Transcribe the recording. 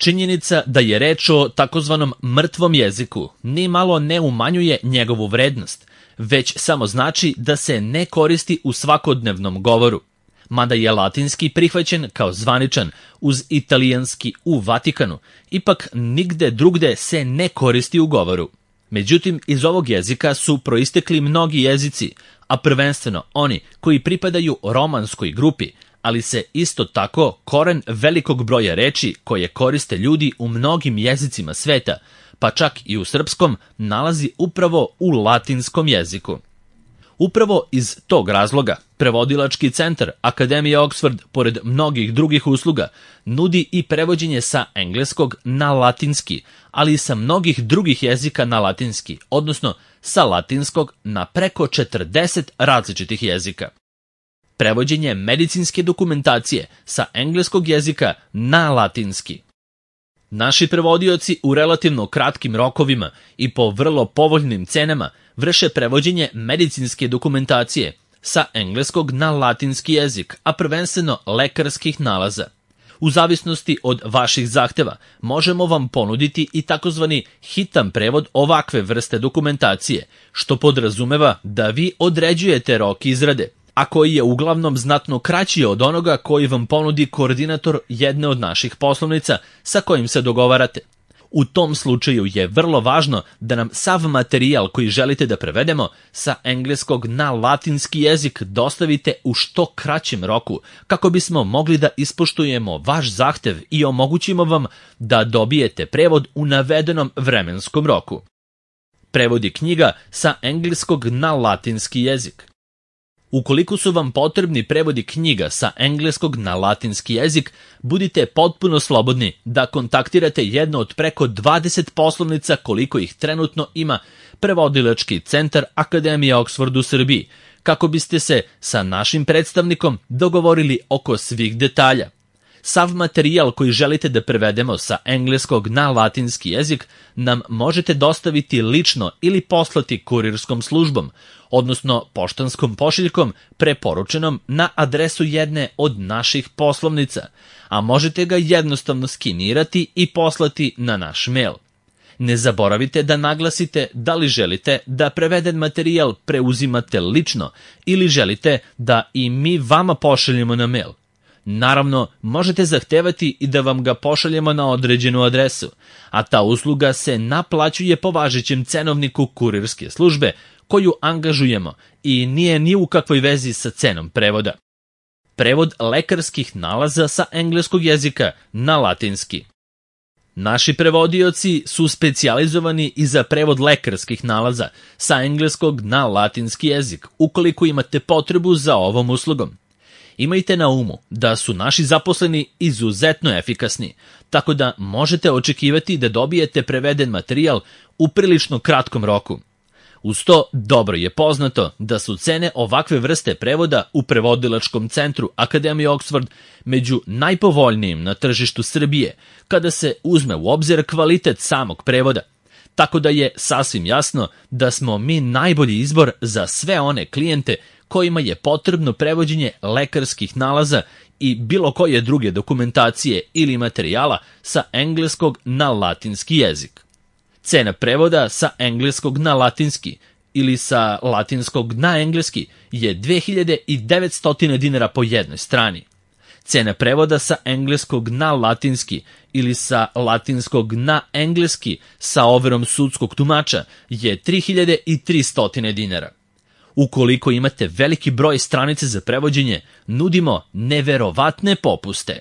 Činjenica da je reč o takozvanom mrtvom jeziku ni malo ne umanjuje njegovu vrednost, već samo znači da se ne koristi u svakodnevnom govoru. Mada je latinski prihvaćen kao zvaničan uz italijanski u Vatikanu, ipak nigde drugde se ne koristi u govoru. Međutim, iz ovog jezika su proistekli mnogi jezici, a prvenstveno oni koji pripadaju romanskoj grupi, ali se isto tako koren velikog broja reči koje koriste ljudi u mnogim jezicima sveta, pa čak i u srpskom, nalazi upravo u latinskom jeziku. Upravo iz tog razloga, prevodilački centar Akademije Oxford, pored mnogih drugih usluga, nudi i prevođenje sa engleskog na latinski, ali i sa mnogih drugih jezika na latinski, odnosno sa latinskog na preko 40 različitih jezika. Prevođenje medicinske dokumentacije sa engleskog jezika na latinski. Naši prevodioci u relativno kratkim rokovima i po vrlo povoljnim cenama vrše prevođenje medicinske dokumentacije sa engleskog na latinski jezik, a prvenstveno lekarskih nalaza. U zavisnosti od vaših zahteva možemo vam ponuditi i takozvani hitan prevod ovakve vrste dokumentacije, što podrazumeva da vi određujete rok izrade, a koji je uglavnom znatno kraći od onoga koji vam ponudi koordinator jedne od naših poslovnica sa kojim se dogovarate. U tom slučaju je vrlo važno da nam sav materijal koji želite da prevedemo sa engleskog na latinski jezik dostavite u što kraćem roku, kako bismo mogli da ispoštujemo vaš zahtev i omogućimo vam da dobijete prevod u navedenom vremenskom roku. Prevodi knjiga sa engleskog na latinski jezik. Ukoliko su vam potrebni prevodi knjiga sa engleskog na latinski jezik, budite potpuno slobodni da kontaktirate jedno od preko 20 poslovnica koliko ih trenutno ima prevodilački centar Akademije Oxford u Srbiji, kako biste se sa našim predstavnikom dogovorili oko svih detalja. Sav materijal koji želite da prevedemo sa engleskog na latinski jezik nam možete dostaviti lično ili poslati kurirskom službom, odnosno poštanskom pošiljkom preporučenom na adresu jedne od naših poslovnica, a možete ga jednostavno skenirati i poslati na naš mail. Ne zaboravite da naglasite da li želite da preveden materijal preuzimate lično ili želite da i mi vama pošaljemo na mail. Naravno, možete zahtevati i da vam ga pošaljemo na određenu adresu, a ta usluga se naplaćuje po važećem cenovniku kurirske službe koju angažujemo i nije ni u kakvoj vezi sa cenom prevoda. Prevod lekarskih nalaza sa engleskog jezika na latinski. Naši prevodioci su specijalizovani i za prevod lekarskih nalaza sa engleskog na latinski jezik, ukoliko imate potrebu za ovom uslugom. Imajte na umu da su naši zaposleni izuzetno efikasni, tako da možete očekivati da dobijete preveden materijal u prilično kratkom roku. Uz to, dobro je poznato da su cene ovakve vrste prevoda u prevodilačkom centru Akademije Oxford među najpovoljnijim na tržištu Srbije, kada se uzme u obzir kvalitet samog prevoda. Tako da je sasvim jasno da smo mi najbolji izbor za sve one klijente kojima je potrebno prevođenje lekarskih nalaza i bilo koje druge dokumentacije ili materijala sa engleskog na latinski jezik. Cena prevoda sa engleskog na latinski ili sa latinskog na engleski je 2900 dinara po jednoj strani. Cena prevoda sa engleskog na latinski ili sa latinskog na engleski sa overom sudskog tumača je 3300 dinara. Ukoliko imate veliki broj stranice za prevođenje, nudimo neverovatne popuste.